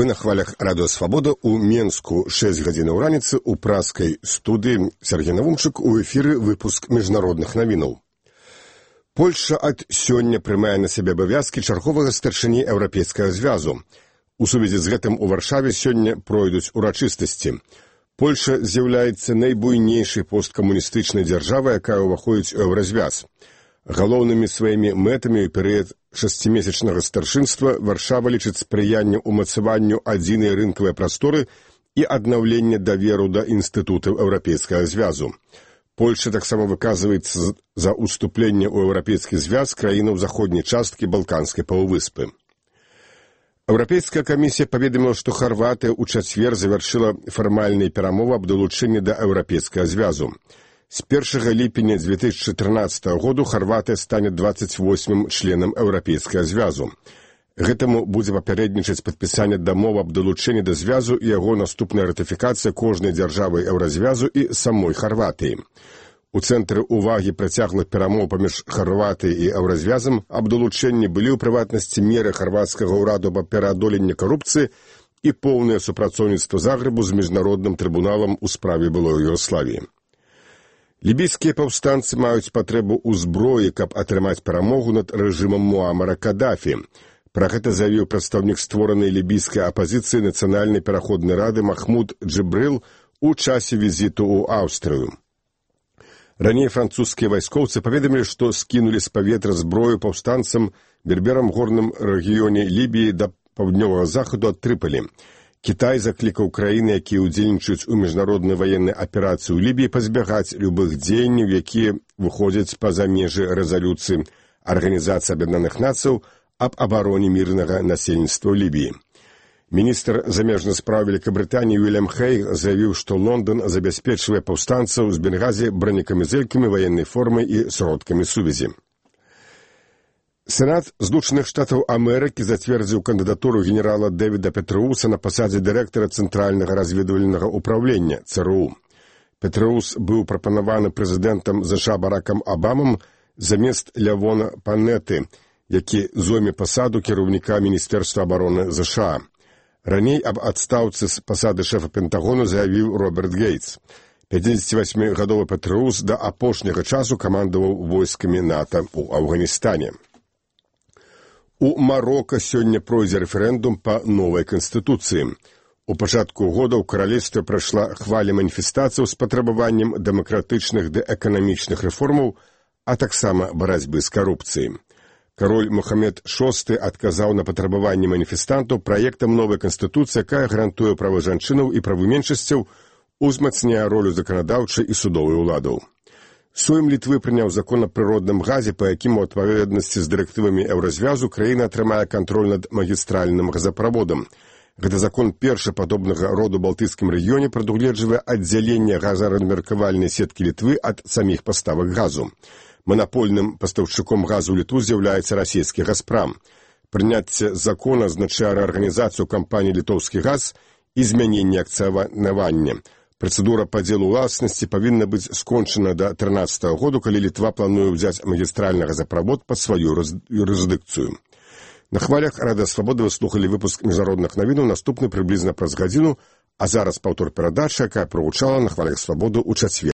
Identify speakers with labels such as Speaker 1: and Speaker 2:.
Speaker 1: Вы на хвалях радыё «Свабода» у Менску 6 гадзінаў раніцы ў праскай студыі. Сергей Навумчык, у эфіры выпуск міжнародных навінаў. Польшча ад сёння прымае на сябе абавязкі чарговага старшыні Еўрапейскага звязу. У сувязі з гэтым у Варшаве сёння пройдуць урачыстасці. Польшча з'яўляецца найбуйнейшай посткамуністычнай дзяржавай, якая ўваходзіць у Еўразвяз. Галоўнымі сваімі мэтамі ў перыяд 6-месячнага старшынства Варшава лічыць спрыянне ўмацаванню адзінай рынкавай прасторы і аднаўленне даверу да інстытутаў Еўрапейскага звязу. Польшча таксама выказваецца за ўступленне ў Еўрапейскі звяз краінаў заходняй часткі Балканскай паўвыспы. Еўрапейская камісія паведаміла, што Харватыя ў чацвер завяршыла фармальныя перамовы аб далучэнні да Еўрапейскага звязу. З 1 ліпеня 2014 году Харватыя стане 28-м членам Еўрапейскага звязу. Гэтаму будзе папярэднічаць падпісанне дамовы аб далучэнні да звязу і яго наступная ратыфікацыя кожнай дзяржавы Еўразвязу і самой Харватыі. У цэнтры ўвагі працяглых перамоў паміж Харватыяй і Еўразвязам аб далучэнні былі ў прыватнасці меры харвацкага ўраду аб пераадоленні карупцыі і поўнае супрацоўніцтва Загрэбу з міжнародным трыбуналам у справе былой Югославіі. Лібійскія паўстанцы маюць патрэбу ў зброі, каб атрымаць перамогу над рэжымам Муамара Кадафі. Пра гэта заявіў прадстаўнік створанай лібійскай апазіцыі Нацыянальнай пераходнай рады Махмуд Джибрил у часе візіту ў Аўстрыю. Раней французскія вайскоўцы паведамілі, што скінулі з паветра зброю паўстанцам берберам горным рэгіёне Лібіі да паўднёвага захаду ад Трыполі. Кітай заклікаў краіны, якія ўдзельнічаюць у міжнароднай ваеннай аперацыі ў Лібіі, пазбягаць любых дзеянняў, якія выходзяць па-за межы рэзалюцыі Арганізацыі Аб'яднаных Нацыяў аб абароне мірнага насельніцтва ў Лібіі. Міністр замежных спраў Вялікабрытаніі Уільям Хейг заявіў, што Лондан забяспечвае паўстанцаў з Бенгазі бронекамізэлькамі, ваеннай формай і сродкамі сувязі. Сенат Злучаных Штатаў Амерыкі зацвердзіў кандыдатуру генерала Дэвіда Петрэуса на пасадзе дырэктара Цэнтральнага разведвальнага ўпраўлення ЦРУ. Петрэус быў прапанаваны прэзідэнтам США Баракам Абамам замест Лявона Панеты, які зойме пасаду кіраўніка Міністэрства абароны США. Раней аб адстаўцы з пасады шэфа Пентагону заявіў Роберт Гейтс. 58-гадовы Петрэус да апошняга часу камандаваў войскамі НАТО ў Афганістане. У Марока сёння пройдзе рэферэндум па новай канстытуцыі. У пачатку года ў каралевстве прайшла хваля маніфестацыяў з патрабаваннем дэмакратычных ды эканамічных рэформаў, а таксама барацьбы з карупцыяй. Кароль Мухаммед VI адказаў на патрабаванні маніфестантаў праектам новай канстытуцыі, якая гарантуе правы жанчынаў і правы меншасцяў, узмацняе ролю заканадаўчай і судовай уладаў. Сойм Літвы прыняў закон аб прыродным газе, па якім у адпаведнасці з дырэктывамі Еўразвязу краіна атрымае кантроль над магістральным газаправодам. Гэты закон першы падобнага роду ў Балтыйскім рэгіёне прадугледжвае аддзяленне газаразмеркавальнай сеткі Літвы ад саміх паставак газу. Манапольным пастаўшчыком газу ў Літву з'яўляецца расійскі «Газпрам». Прыняцце закона азначае рэарганізацыю кампаніі «Літоўскі газ» і змяненне акцыянавання. Працэдура падзелу ўласнасці павінна быць скончана да 2013 году, калі Літва плануе ўзяць магістральны газаправод пад сваю юрысдыкцыю. На хвалях радыё «Свабода» вы слухалі выпуск міжнародных навінаў, наступны прыблізна праз гадзіну, а зараз паўтор перадачы, якая прагучала на хвалях «Свабоды» ў чацвер.